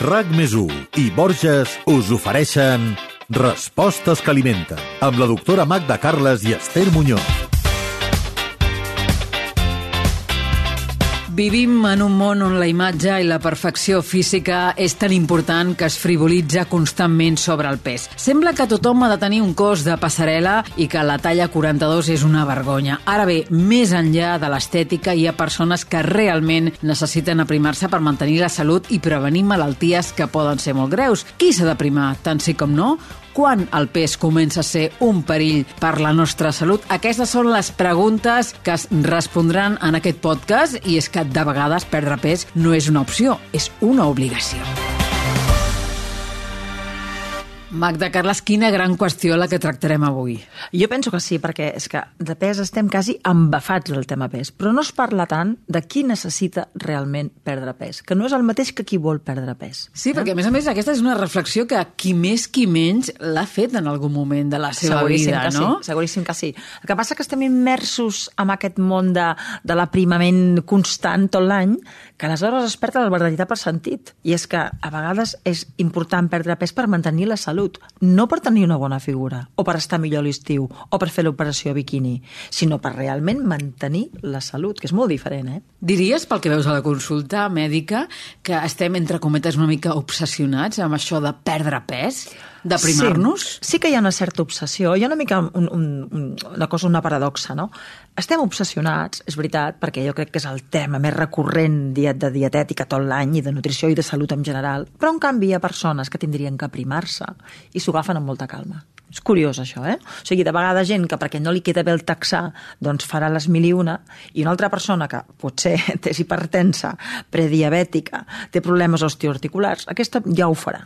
RAC+1 i Borges us ofereixen Respostes que alimenten, amb la doctora Magda Carles i Esther Muñoz. Vivim en un món on la imatge i la perfecció física és tan important que es frivolitza constantment sobre el pes. Sembla que tothom ha de tenir un cos de passarel·la i que la talla 42 és una vergonya. Ara bé, més enllà de l'estètica, hi ha persones que realment necessiten aprimar-se per mantenir la salut i prevenir malalties que poden ser molt greus. Qui s'ha d'aprimar, tant sí com no? Quan el pes comença a ser un perill per la nostra salut? Aquestes són les preguntes que es respondran en aquest podcast, i és que de vegades perdre pes no és una opció, és una obligació. Magda Carles, quina gran qüestió la que tractarem avui. Jo penso que sí, perquè és que de pes estem quasi embafats del tema pes, però no es parla tant de qui necessita realment perdre pes, que no és el mateix que qui vol perdre pes. Sí, perquè a més aquesta és una reflexió que qui més qui menys l'ha fet en algun moment de la seva vida, no? Sí, seguríssim que sí. El que passa que estem immersos en aquest món de l'aprimament constant tot l'any, que aleshores es perd el veritable sentit. I és que a vegades és important perdre pes per mantenir la salut, no per tenir una bona figura, o per estar millor a l'estiu, o per fer l'operació biquini, sinó per realment mantenir la salut, que és molt diferent, eh? Diries, pel que veus a la consulta mèdica, que estem, entre cometes, una mica obsessionats amb això de perdre pes? D'aprimar-nos? Sí que hi ha una certa obsessió. Hi ha una mica una paradoxa, no? Estem obsessionats, és veritat, perquè jo crec que és el tema més recurrent de dietètica tot l'any i de nutrició i de salut en general, però en canvi hi ha persones que tindrien que aprimar-se i s'ho agafen amb molta calma. És curiós, això, eh? O sigui, de vegades gent que perquè no li queda bé el taxar, doncs farà les mil i una altra persona que potser és hipertensa, prediabètica, té problemes osteoarticulars, aquesta ja ho farà.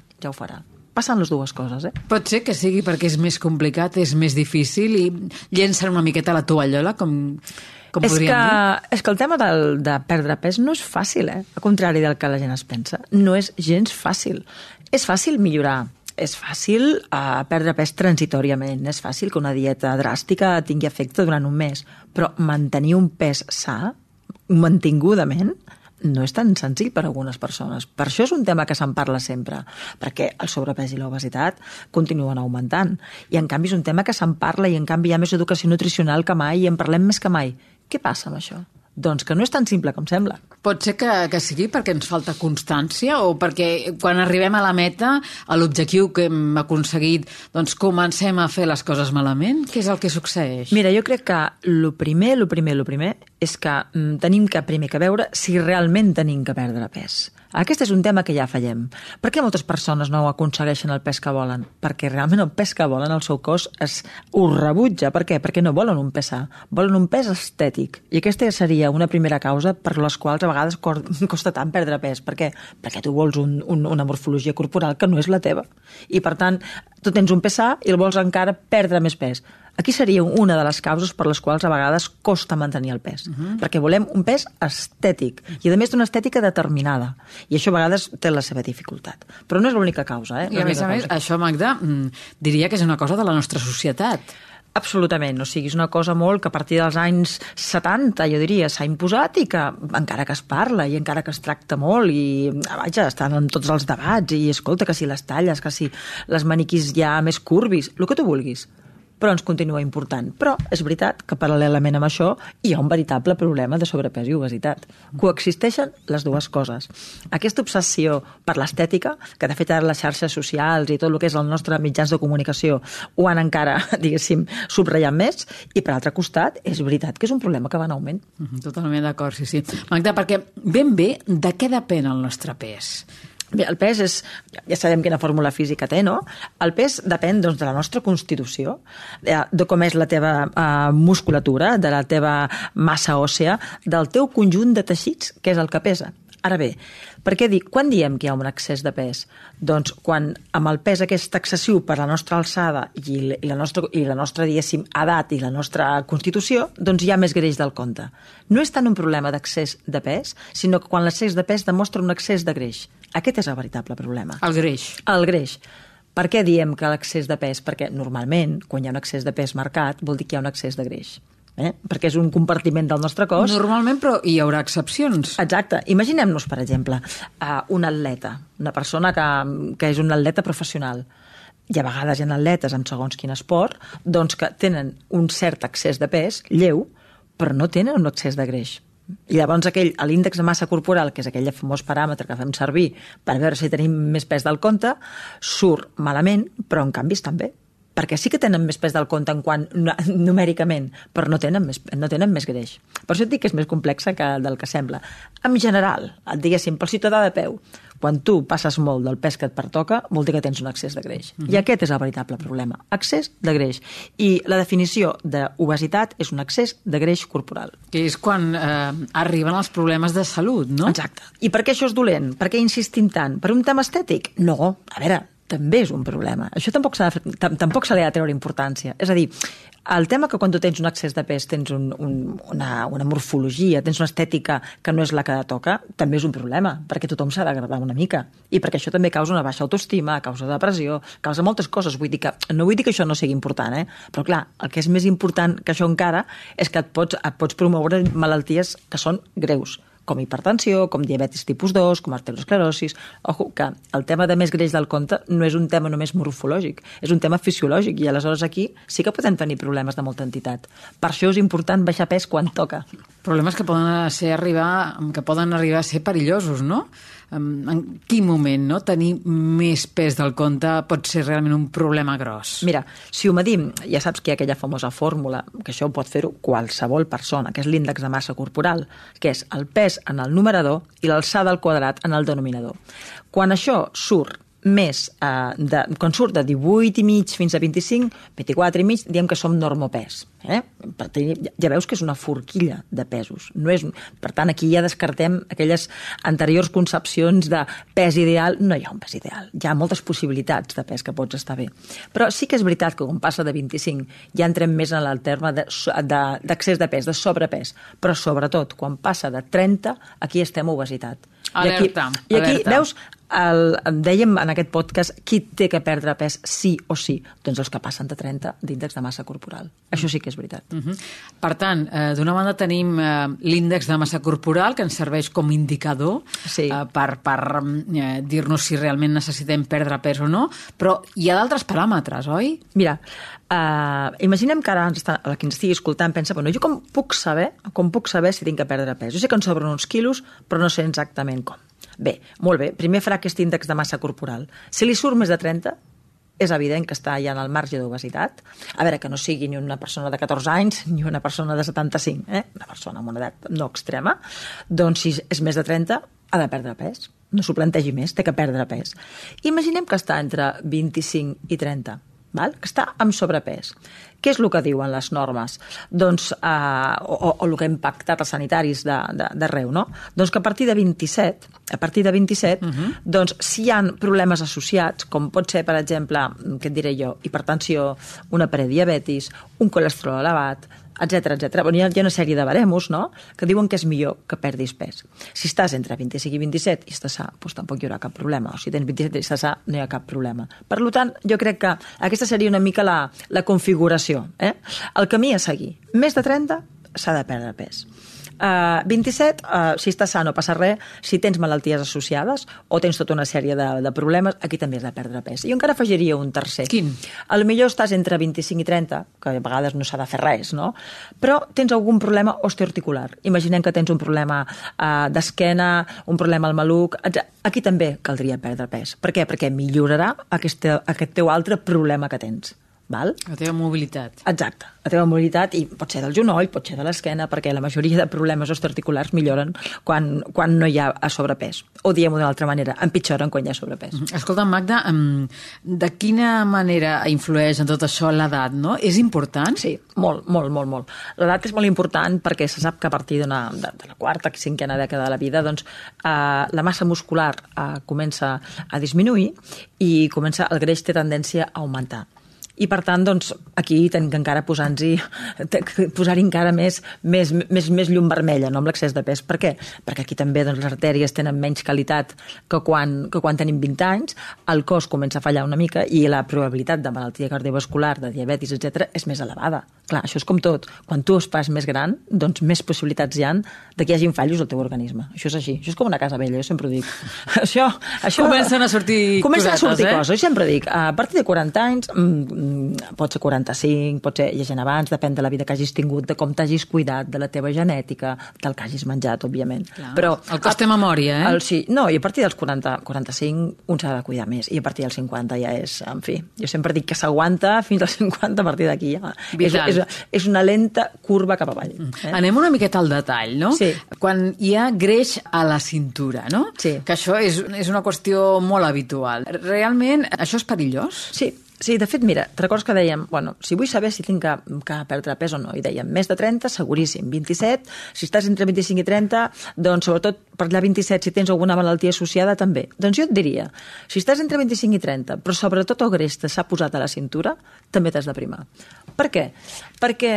Passen les dues coses, eh? Pot ser que sigui perquè és més complicat, és més difícil i llencen una miqueta la tovallola, com podríem dir? És que el tema de perdre pes no és fàcil, eh? Al contrari del que la gent es pensa. No és gens fàcil. És fàcil millorar. És fàcil perdre pes transitoriament. És fàcil que una dieta dràstica tingui efecte durant un mes. Però mantenir un pes sa, mantingudament, no és tan senzill per a algunes persones. Per això és un tema que se'n parla sempre, perquè el sobrepès i l'obesitat continuen augmentant. I en canvi és un tema que se'n parla i en canvi hi ha més educació nutricional que mai i en parlem més que mai. Què passa amb això? Doncs que no és tan simple com sembla. Pot ser que sigui perquè ens falta constància o perquè quan arribem a la meta, a l'objectiu que hem aconseguit, doncs comencem a fer les coses malament? Què és el que succeeix? Mira, jo crec que el primer és que tenim que primer que veure si realment tenim que perdre pes. Aquest és un tema que ja fallem. Per què moltes persones no aconsegueixen el pes que volen? Perquè realment el pes que volen, el seu cos ho rebutja. Per què? Perquè no volen un pes sa, volen un pes estètic. I aquesta seria una primera causa per les quals a vegades costa tant perdre pes. Per què? Perquè tu vols una morfologia corporal que no és la teva. I per tant, tu tens un pes sa i el vols encara perdre més pes. Aquí seria una de les causes per les quals a vegades costa mantenir el pes. Perquè volem un pes estètic. I a més d'una estètica determinada. I això a vegades té la seva dificultat. Però no és l'única causa, eh? I a més, això, Magda, diria que és una cosa de la nostra societat. Absolutament, o sigui, és una cosa molt que a partir dels anys 70, jo diria, s'ha imposat i que encara que es parla i encara que es tracta molt i, vaja, estan en tots els debats i escolta, que si les talles, que si les maniquís ja més curvis, el que tu vulguis. Però ens continua important. Però és veritat que paral·lelament amb això hi ha un veritable problema de sobrepès i obesitat. Coexisteixen les dues coses. Aquesta obsessió per l'estètica, que de fet ara les xarxes socials i tot el que és el nostre mitjans de comunicació ho han encara, diguéssim, subratllat més, i per altre costat és veritat que és un problema que va en augment. Totalment d'acord, sí. Magda, perquè ben bé de què depèn el nostre pes? Bé, el pes és, ja sabem quina fórmula física té, no? El pes depèn doncs, de la nostra constitució, de com és la teva musculatura, de la teva massa òssea, del teu conjunt de teixits, que és el que pesa. Ara bé, quan diem que hi ha un excés de pes? Doncs quan amb el pes aquest excessiu per la nostra alçada i la nostra diguéssim, edat i la nostra constitució, doncs hi ha més greix del compte. No és tant un problema d'excés de pes, sinó que quan l'excés de pes demostra un excés de greix. Aquest és el veritable problema. El greix. El greix. Per què diem que l'excés de pes? Perquè normalment, quan hi ha un excés de pes marcat, vol dir que hi ha un excés de greix. perquè és un compartiment del nostre cos. Normalment, però hi haurà excepcions. Exacte. Imaginem-nos, per exemple, un atleta, una persona que és un atleta professional. Hi ha vegades hi ha atletes amb segons quin esport doncs que tenen un cert excés de pes, lleu, però no tenen un excés de greix. I llavors l'índex de massa corporal, que és aquell famós paràmetre que fem servir per veure si tenim més pes del compte, surt malament, però en canvi estan bé. Perquè sí que tenen més pes del compte en quant numèricament, però no tenen més greix. Per això et dic que és més complexa del que sembla. En general, diguéssim, pel ciutadà de peu, quan tu passes molt del pes que et pertoca, vol dir que tens un excés de greix. I aquest és el veritable problema, excés de greix. I la definició d'obesitat és un excés de greix corporal. Que és quan arriben els problemes de salut, no? Exacte. I per què això és dolent? Per què insistim tant? Per un tema estètic? No, a veure, també és un problema. Això tampoc se li ha de treure importància. És a dir, el tema que quan tu tens un excés de pes tens una morfologia, tens una estètica que no és la que toca, també és un problema, perquè tothom s'ha d'agradar una mica. I perquè això també causa una baixa autoestima, causa depressió, causa moltes coses. No vull dir que això no sigui important, però clar, el que és més important que això encara és que et pots promoure malalties que són greus, com hipertensió, com diabetis tipus 2, com arteriosclerosis. Ojo, que el tema de més greix del compte no és un tema només morfològic, és un tema fisiològic, i aleshores aquí sí que podem tenir problemes de molta entitat. Per això és important baixar pes quan toca. Problemes que poden arribar a ser perillosos, no? En quin moment, no? Tenir més pes del compte pot ser realment un problema gros. Mira, si ho medim, ja saps que hi ha aquella famosa fórmula, que això ho pot fer-ho qualsevol persona, que és l'índex de massa corporal, que és el pes en el numerador i l'alçada al quadrat en el denominador. Quan això surt quan surt de 18,5 fins a 25, 24,5, diem que som normopès. Ja veus que és una forquilla de pesos. Per tant, aquí ja descartem aquelles anteriors concepcions de pes ideal. No hi ha un pes ideal. Hi ha moltes possibilitats de pes que pots estar bé. Però sí que és veritat que quan passa de 25 ja entrem més en el terme d'excés de pes, de sobrepès. Però sobretot, quan passa de 30, aquí estem a obesitat. Alerta. I aquí, veus, dèiem en aquest podcast qui té que perdre pes sí o sí, doncs els que passen de 30 d'índex de massa corporal. Això sí que és veritat. Per tant, d'una banda tenim l'índex de massa corporal, que ens serveix com indicador per dir-nos si realment necessitem perdre pes o no, però hi ha d'altres paràmetres, oi? Mira, imaginem que ara qui ens estigui escoltant pensa, jo com puc saber si tinc que perdre pes? Jo sé que em sobren uns quilos, però no sé exactament com. Bé, molt bé. Primer farà aquest índex de massa corporal. Si li surt més de 30, és evident que està ja en el marge d'obesitat. A veure, que no sigui ni una persona de 14 anys ni una persona de 75, una persona amb una edat no extrema, doncs si és més de 30 ha de perdre pes. No s'ho plantegi més, té que perdre pes. Imaginem que està entre 25 i 30, que està amb sobrepès. Què és el que diuen les normes? Doncs, o el que hem pactat els sanitaris d'arreu, no? Doncs que a partir de 27, doncs, si hi ha problemes associats, com pot ser, per exemple, què et diré jo, hipertensió, una prediabetis, un colesterol elevat, etcètera. Hi ha una sèrie de baremos, no?, que diuen que és millor que perdis pes. Si estàs entre 25 i 27 i estàs sa, doncs tampoc hi haurà cap problema. O si tens 27 i estàs sa, no hi ha cap problema. Per tant, jo crec que aquesta seria una mica la configuració. El camí a seguir. Més de 30 s'ha de perdre pes. 27, si estàs sa no passa res. Si tens malalties associades o tens tota una sèrie de problemes, aquí també has de perdre pes. I jo encara afegiria un tercer. Quin? Potser estàs entre 25 i 30, que a vegades no s'ha de fer res, no? Però tens algun problema osteoarticular. Imaginem que tens un problema d'esquena, un problema al maluc. Aquí també caldria perdre pes. Per què? Perquè millorarà aquest teu altre problema que tens. Val? La teva mobilitat. Exacte, la teva mobilitat, i pot ser del genoll, pot ser de l'esquena, perquè la majoria de problemes osteoarticulars milloren quan no hi ha sobrepès. O diem-ho d'una altra manera, empitjoren quan hi ha sobrepès. Escolta, Magda, de quina manera influeix en tot això l'edat, no? És important? Sí, molt. L'edat és molt important perquè se sap que a partir de la quarta, cinquena dècada de la vida, doncs la massa muscular comença a disminuir i el greix té tendència a augmentar. I, per tant, doncs, aquí tenim que encara posar-hi encara més llum vermella, no amb l'excés de pes. Per què? Perquè aquí també doncs, les artèries tenen menys qualitat que quan tenim 20 anys, el cos comença a fallar una mica i la probabilitat de malaltia cardiovascular, de diabetis, etc., és més elevada. Clar, això és com tot. Quan tu es fas més gran, doncs més possibilitats hi ha de que hi hagin fallos al teu organisme. Això és així. Això és com una casa vella, jo sempre ho dic. Això comencen a sortir coses. Jo sempre dic, a partir de 40 anys, pot ser 45, pot ser gent abans, depèn de la vida que hagis tingut, de com t'hagis cuidat, de la teva genètica, del que hagis menjat, òbviament. Clar, però el cos té memòria, sí, no, i a partir dels 40-45 un s'ha de cuidar més, i a partir dels 50 ja és, en fi, jo sempre dic que s'aguanta fins als 50, a partir d'aquí ja. És una lenta curva cap avall. Anem una miqueta al detall, no? Sí. Quan hi ha greix a la cintura, no? Sí. Que això és una qüestió molt habitual. Realment, això és perillós? Sí, de fet, mira, te recordes que dèiem, bueno, si vull saber si tinc que perdre pes o no, i dèiem, més de 30, seguríssim, 27, si estàs entre 25 i 30, doncs sobretot per allà 27, si tens alguna malaltia associada, també. Doncs jo et diria, si estàs entre 25 i 30, però sobretot el greix s'ha posat a la cintura, també t'has de primar. Per què? Perquè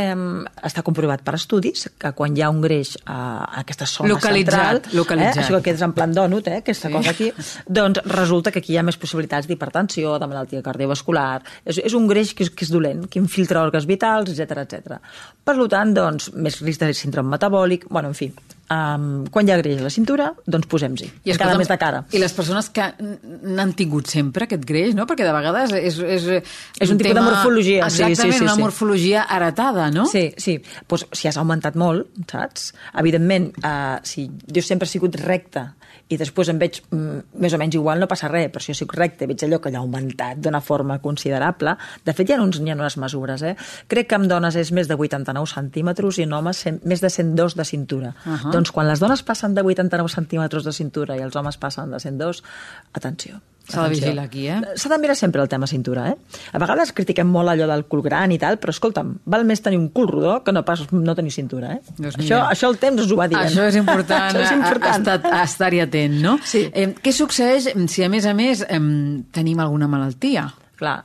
està comprovat per estudis que quan hi ha un greix a aquesta zona central, això que és en plan dònut, aquesta cosa aquí, doncs resulta que aquí hi ha més possibilitats d'hipertensió, de malaltia cardiovascular. És un greix que és dolent, que infiltra òrgans vitals, etc. Per tant, doncs, més risc de síndrome metabòlic, bueno, en fi, quan hi ha greix a la cintura, doncs posem-hi, encara més de cara. I les persones que n'han tingut sempre aquest greix, no? Perquè de vegades és un tipus de morfologia. Exactament, una morfologia heretada, no? Sí. Pues, si has augmentat molt, saps? Evidentment, si jo sempre he sigut recta i després em veig més o menys igual, no passa res, però si jo soc recte i veig allò que allà ha augmentat d'una forma considerable, de fet hi ha unes mesures, crec que en dones és més de 89 centímetres i en homes més de 102 de cintura. Doncs quan les dones passen de 89 centímetres de cintura i els homes passen de 102, atenció. S'ha de vigilar aquí, S'ha de mirar sempre el tema cintura, A vegades critiquem molt allò del cul gran i tal, però escolta'm, val més tenir un cul rodó que no pas no tenir cintura, Això el temps us ho va dient. Això és important, estar-hi atent, no? Sí. Què succeeix si a més tenim alguna malaltia? Clar,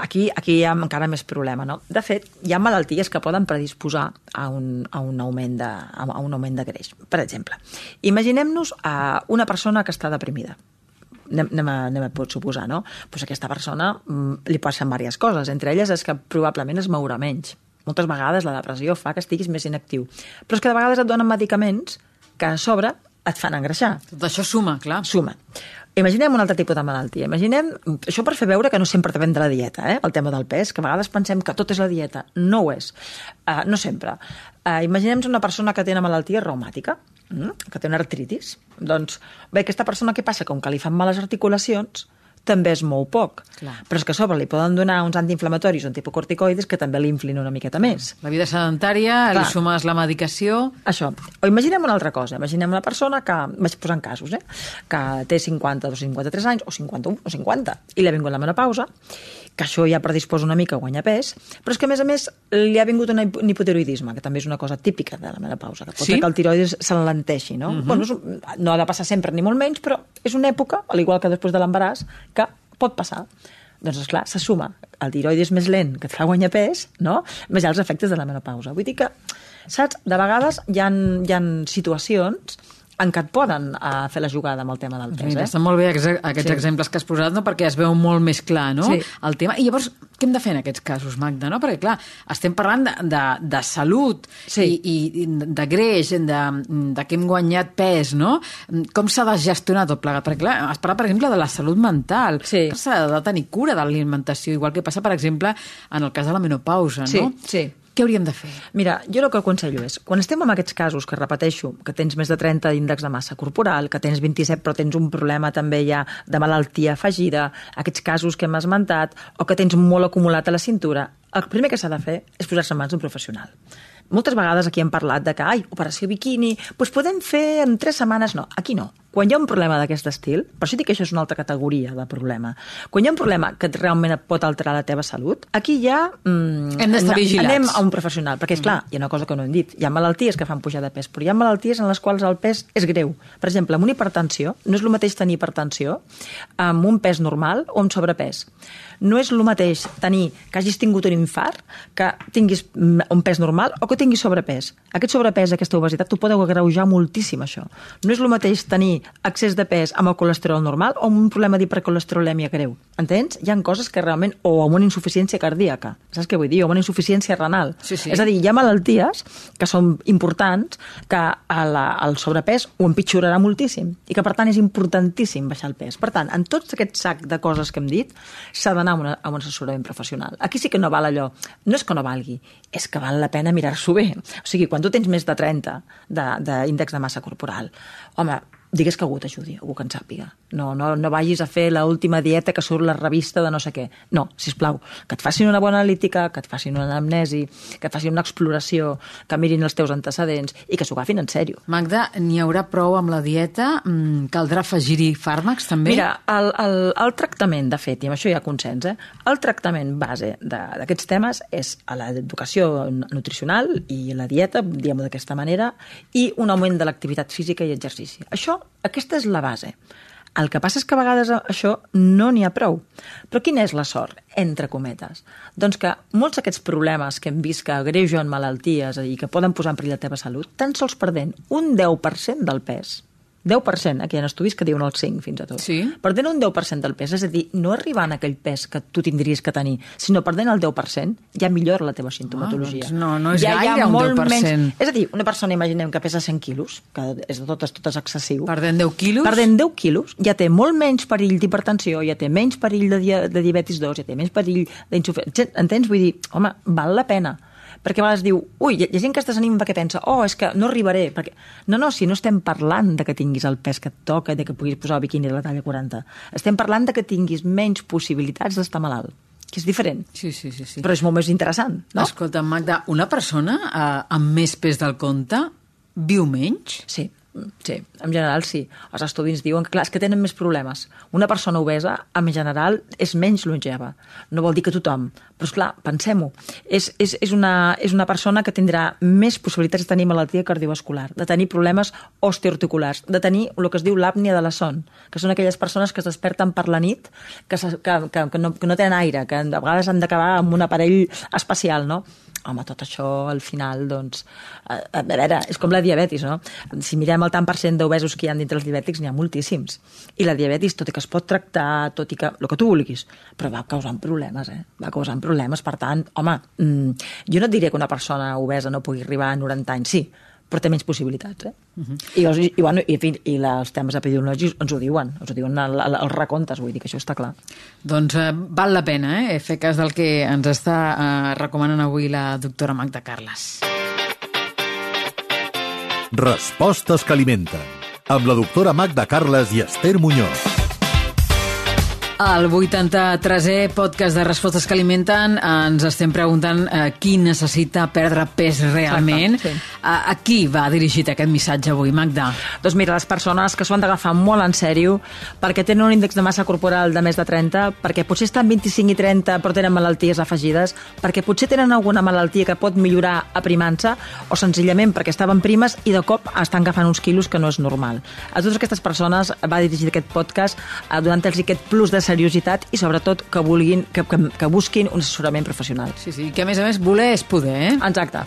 aquí hi ha encara més problema, no? De fet, hi ha malalties que poden predisposar a un augment de greix. Per exemple, imaginem-nos una persona que està deprimida. Anem a pot suposar, no? Pues aquesta persona li passen diverses coses. Entre elles és que probablement es mourà menys. Moltes vegades la depressió fa que estiguis més inactiu. Però és que de vegades et donen medicaments que a sobre et fan engreixar. Tot això suma, clar. Suma. Imaginem un altre tipus de malaltia. Imaginem, això per fer veure que no sempre depèn de la dieta, el tema del pes, que a vegades pensem que tot és la dieta. No ho és. No sempre. Imaginem una persona que té una malaltia reumàtica, que té una artritis. Doncs, bé, aquesta persona què passa? Com que li fan males articulacions, també es mou poc. Clar. Però és que a sobre li poden donar uns antiinflamatoris o anticorticoides que també l'inflin una miqueta més. La vida sedentària, li sumes la medicació... Això. O imaginem una altra cosa. Imaginem una persona que, vaig posant casos, que té 50 o 53 anys, o 51 o 50, i li ha vingut la menopausa, que això ja predisposa una mica a guanyar pes, però és que, a més, li ha vingut un hipotiroidisme, que també és una cosa típica de la menopausa, que pot ser que el tiroides s'enlenteixi, no? Bueno, no ha de passar sempre ni molt menys, però és una època, al igual que després de l'embaràs, que pot passar. Doncs, esclar, se suma el tiroides més lent, que et fa guanyar pes, no? Més els efectes de la menopausa. Vull dir que, saps, de vegades hi ha situacions en què et poden fer la jugada amb el tema del pes. Estan molt bé aquests exemples que has posat, no? Perquè es veu molt més clar, no? Sí. El tema. I llavors, què hem de fer en aquests casos, Magda? No? Perquè, clar, estem parlant de salut i de greix, de que hem guanyat pes, no? Com s'ha de gestionar tot plegat? Perquè, clar, has parlat, per exemple, de la salut mental. Sí. S'ha de tenir cura de l'alimentació, igual que passa, per exemple, en el cas de la menopausa, no? Sí. Què hauríem de fer? Mira, jo el que aconsello és, quan estem en aquests casos, que repeteixo, que tens més de 30 d'índex de massa corporal, que tens 27 però tens un problema també ja de malaltia afegida, aquests casos que hem esmentat, o que tens molt acumulat a la cintura, el primer que s'ha de fer és posar-se en mans d'un professional. Moltes vegades aquí hem parlat de que, operació biquini, doncs podem fer en 3 setmanes. No, aquí no. quan hi ha un problema d'aquest estil, per això dic que això és una altra categoria de problema, quan hi ha un problema que realment et pot alterar la teva salut, aquí ja hem d'estar vigilats. Anem a un professional, perquè, esclar, hi ha una cosa que no hem dit, hi ha malalties que fan pujar de pes, però hi ha malalties en les quals el pes és greu. Per exemple, amb una hipertensió, no és el mateix tenir hipertensió amb un pes normal o amb sobrepès. No és el mateix tenir que hagis tingut un infart, que tinguis un pes normal o que tinguis sobrepès. Aquest sobrepès, aquesta obesitat, t'ho podeu agreujar moltíssim, això. No és el mateix tenir excés de pes amb el colesterol normal o amb un problema d'hipercolesterolèmia greu. Entens? Hi ha coses que realment... O amb una insuficiència cardíaca. Saps què vull dir? O amb una insuficiència renal. Sí. És a dir, hi ha malalties que són importants que el sobrepès ho empitjorarà moltíssim i que, per tant, és importantíssim baixar el pes. Per tant, en tots aquest sac de coses que hem dit, s'ha d'anar a un assessorament professional. Aquí sí que no val allò. No és que no valgui, és que val la pena mirar-s'ho bé. O sigui, quan tu tens més de 30 d'índex de massa corporal, home, digues que algú t'ajudi, algú que en sàpiga. No vagis a fer l'última dieta que surt la revista de no sé què. No, sisplau, que et facin una bona analítica, que et facin una anamnesi, que et facin una exploració, que mirin els teus antecedents i que s'ho agafin en sèrio. Magda, n'hi haurà prou amb la dieta? Caldrà afegir-hi fàrmacs, també? Mira, el tractament, de fet, i amb això hi ha consens, el tractament base d'aquests temes és l'educació nutricional i la dieta, diguem-ho d'aquesta manera, i un augment de l'activitat física i exercici. Aquesta és la base. El que passa és que a vegades això no n'hi ha prou. Però quina és la sort, entre cometes? Doncs que molts d'aquests problemes que hem vist que agreugen malalties i que poden posar en perill la teva salut, tan sols perdent un 10% del pes, 10%, aquí hi ha estudis que diuen el 5 fins a tot. Sí. Perdent un 10% del pes, és a dir, no arribant a aquell pes que tu tindries que tenir, sinó perdent el 10%, ja millora la teva sintomatologia. Doncs no és gaire un 10%. Menys, és a dir, una persona, imaginem, que pesa 100 quilos, que és de totes excessiu. Perdent 10 quilos? Perdent 10 quilos, ja té molt menys perill d'hipertensió, ja té menys perill de diabetis 2, ja té menys perill d'insuficiència. Entens? Vull dir, home, val la pena. Perquè a vegades diu, hi ha gent que es desanima perquè pensa, és que no arribaré. Perquè... No, si no estem parlant de que tinguis el pes que et toca i de que puguis posar el biquini de la talla 40. Estem parlant de que tinguis menys possibilitats d'estar malalt, que és diferent. Sí. Però és molt més interessant, no? Escolta, Magda, una persona amb més pes del compte viu menys? Sí, en general sí. Els estudis diuen que, clar, és que tenen més problemes. Una persona obesa, en general, és menys longeva. No vol dir que tothom, però, esclar, pensem-ho. És una persona que tindrà més possibilitats de tenir malaltia cardiovascular, de tenir problemes osteoarticulars, de tenir el que es diu l'àpnia de la son, que són aquelles persones que es desperten per la nit, que no tenen aire, que a vegades han d'acabar amb un aparell especial, no? Home, tot això, al final, doncs... A veure, és com la diabetis, no? Si mirem el tant per cent d'obesos que hi ha dintre els diabètics, n'hi ha moltíssims. I la diabetis, tot i que es pot tractar, tot i que... el que tu vulguis, però va causant problemes, Va causant problemes. Per tant, home, jo no et diré que una persona obesa no pugui arribar a 90 anys, sí, però té menys possibilitats, I els temes epidemiològics ens ho diuen els recomptes, vull dir que això està clar. Doncs val la pena, fer cas del que ens està recomanant avui la doctora Magda Carles. Respostes que alimenten, amb la doctora Magda Carles i Esther Muñoz. Al 83è podcast de Respostes que alimenten ens estem preguntant qui necessita perdre pes realment. Exacte, sí. A qui va dirigit aquest missatge avui, Magda? Doncs mira, les persones que s'ho han d'agafar molt en sèrio perquè tenen un índex de massa corporal de més de 30, perquè potser estan 25 i 30 però tenen malalties afegides, perquè potser tenen alguna malaltia que pot millorar aprimant-se o senzillament perquè estaven primes i de cop estan agafant uns quilos que no és normal. A totes aquestes persones va dirigit aquest podcast donant-los aquest plus de seriositat i sobretot que busquin un assessorament professional. Sí, que a més voler és poder, Exacte.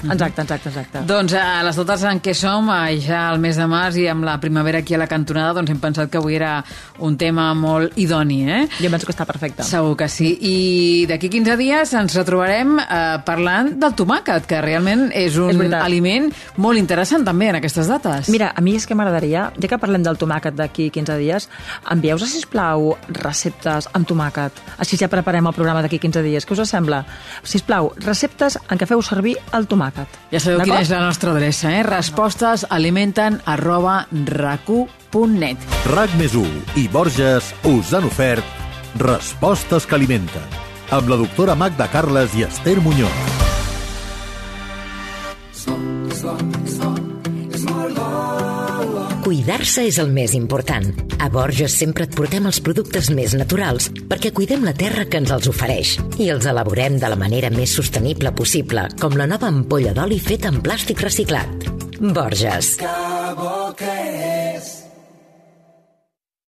Doncs a les dates en què som, ja al mes de març i amb la primavera aquí a la cantonada, doncs hem pensat que avui era un tema molt idoni, Jo penso que està perfecte. Segur que sí. I d'aquí 15 dies ens retrobarem parlant del tomàquet, que realment és un aliment molt interessant també en aquestes dates. Mira, a mi és que m'agradaria, ja que parlem del tomàquet d'aquí 15 dies, envieu-nos, sisplau, receptes amb tomàquet. Així ja preparem el programa d'aquí 15 dies. Què us sembla? Sisplau, receptes en què feu servir el tomàquet. Ja sabeu quina és la nostra adreça, respostesalimenten@racu.net. RAC+1 i Borges us han ofert Respostes que alimenten, amb la doctora Magda Carles i Esther Muñoz. Cuidar-se és el més important. A Borges sempre et portem els productes més naturals perquè cuidem la terra que ens els ofereix i els elaborem de la manera més sostenible possible, com la nova ampolla d'oli feta en plàstic reciclat. Borges. Que bo que és